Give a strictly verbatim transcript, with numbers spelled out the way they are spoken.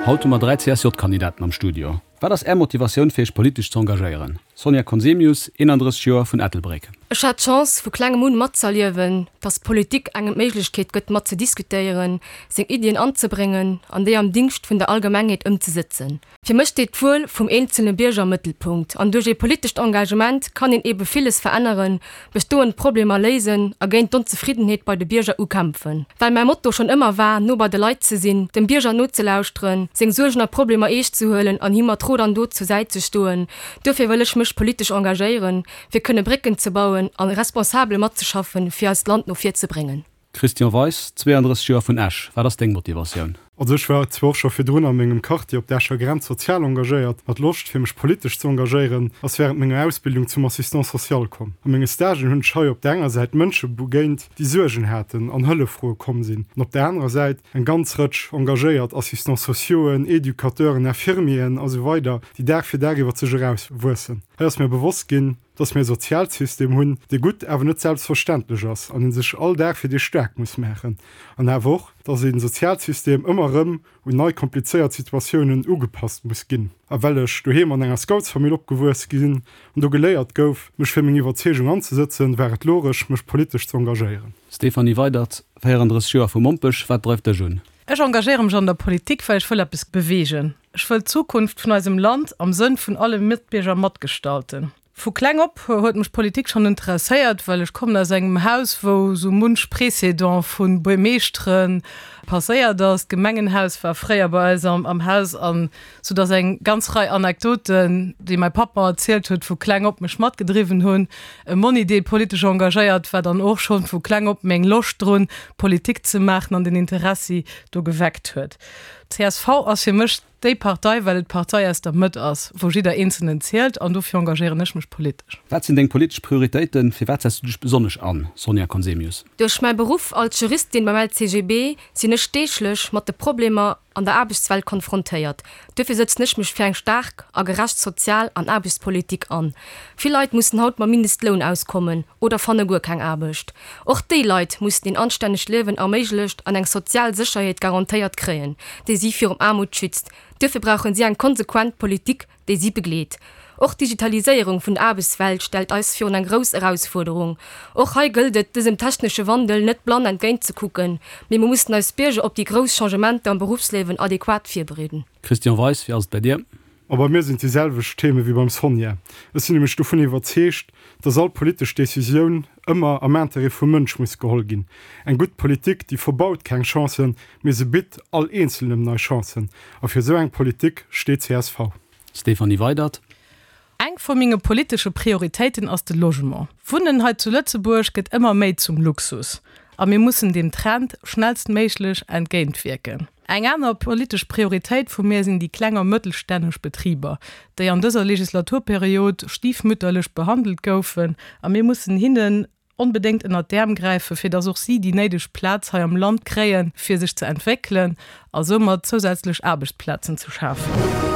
Haut hu mer dräi C S J-Kandidaten am Studio. Wat ass Är Motivatioun fir Iech politesch ze engagéieren? Sonja Conzemius, eenandrësseg Joer, vun Ettelbréck. Ech hat d'Chance vu klengem un matzëerliewen, dass Politik engem d'Méiglechkeet gëtt mat ze diskutéieren, seng Iddien anzebréngen an déi am Dingscht vun der Allgemengheet ëmzesëtzen. Fir mech steet d'Wuel vum eenzelne Bierger am Mëttelpunkt an duerch ee politescht Engagement kann een ebe villes veränneren, bestoend Problemer léisen a géint d'Onzefriddenheet bei de Bierger ukämpfen. Well mäi Motto schonn ëmmer war, no bei de Leit ze sinn, dem Bierger nozelauschteren, seng Suergen a Problemer eescht ze huelen an him mat Rot an Dot zur Säit ze stoen, duerfir wëll ech mech politesch engagéieren, fir kënne Brécken ze bauen an responsabel matzeschaffen, fir eist Land no vir ze bréngen. Christian Weis, zweeandrësseg Joer, vun Esch, Wat ass deng Motivatioun? Also ech war zwar och scho virdrun a mengem Quartier op der Escher Grenz sozial engagéiert, ma d'Loscht fir mech politesch ze engagéieren ass wärend menger Ausbildung zum Assistant social komm. A menge Stagen hunn ech hei op der enger Säit Mënsche begéint, déi Suergen haten an Hëllef froe komm sinn, an op der anerer Säit eng ganz Rëtsch engagéiert Assistants sociauxen, Educateuren, Infirmieren a sou weider, déi Dag fir Dag iwwer sech eraus wuessen. Hei ass mir bewosst ginn, dass mir e Sozialsystem hunn, dee gutt awer net selbstverständlech ass an ee sech all Dag fir dee staark muss maachen. An awer och, dass ee Sozialsystem ëmmer erëm un nei komplizéiert Situatiounen ugepasst muss ginn. A well ech doheem an enger Scoutsfamill opgewuess sinn an do geléiert gouf, mech fir meng Iwwerzeegung anzesëtzen, war et logesch, mech politesch ze engagéieren. Stéphanie Weydert, véierandrësseg Joer, vu Mompech, Wat dreift dech un? Ech engagéiere mech an der Politik, well ech wëll eppes beweegen. Ech wëll d'Zukunft vun eisem Land am Sënn vun alle Matbierger matgestalten. Vu kleng op huet mech Politik schonn interesséiert, well ech kommen aus engem Haus, wou sou munch Président vu Buermeeschtere passéiert ass. D'Gemengenhaus war fréier bei eis am am Haus an sou dass eng ganz Rei Anekdoten, déi mäi Papp mer erzielt huet, vu kleng op mech matgedriwwen hunn. E Monni, dee politesch engagéiert war, dann och schonn vu kleng op meng Loscht drun, Politik ze maachen an den Interessi do geweckt huet. C S V ass fir mech déi Partei, well et d'Partei aus der Mëtt ass, wou jidder Eenzelnen zielt an dofir engagéieren ech mech politesch. Wat sinn deng politesch Prioritéiten? Fir wat setz du dech besonnesch an, Sonja Conzemius? Duerch mäi Beruff als Juristin beim L C G B sinn ech deeglech mat de Problemer an der Aarbechtswelt konfrontéiert. Duerfir sëtzen ech mech fir eng staark a gerecht Sozial an Aarbechtspolitik an. Vill Leit mussen haut mam Mindestloun auskommen oder fanne guer keng Aarbecht. Och déi Leit mussen een anstännegt Liewen erméiglecht an eng sozial Sécherheet garantéiert kréien, déi si virum Aarmut schützt. Duerfir brauchen si eng konsequent Politik, déi si begleet. Och d'Digitaliséierung vun der Aarbechtswelt stellt eis virun eng grouss Erausfuerderung. Och hei gëllt et, dësem technesche Wandel net blann entgéint ze kucken, mee mir mussen eis Bierger op déi grouss Changementer am Beruffsliewen adequat virbereeden. Christian Weis, wéi ass et bei dir? A bei mir sinn et déi selwecht Theme wéi beim Sonja. Ech sinn nämlech dovun iwwerzeegt, dass all politesch Decisioun ëmmer am Interêt vum Mënsch muss geholl ginn. Eng gutt Politik, déi verbaut keng Chancen, mee se bitt all Eenzelnem nei Chancen. A fir esou eng Politik steet C S V. Stéphanie Weydert. Eng vu menge politesche Prioritéiten ass de Logement. Wunnen hei zu Lëtzebuerg gëtt ëmmer méi zum Luxus a mir mussen deem Trend schnellstméiglech entgéintwierken. Eng aner politesch Prioritéit vu mir sinn déi kleng a mëttelstänneg Betriber, déi an dëser Legislaturperiod stiefmütterlech behandelt goufen a mir mussen hinnen onbedéngt ënnert d'Äerm gräifen, fir dass och si déi néideg Plaz hei am Land kréien, fir sech ze entwéckelen a soumat zousätzlech Aarbechtsplazen ze schafen.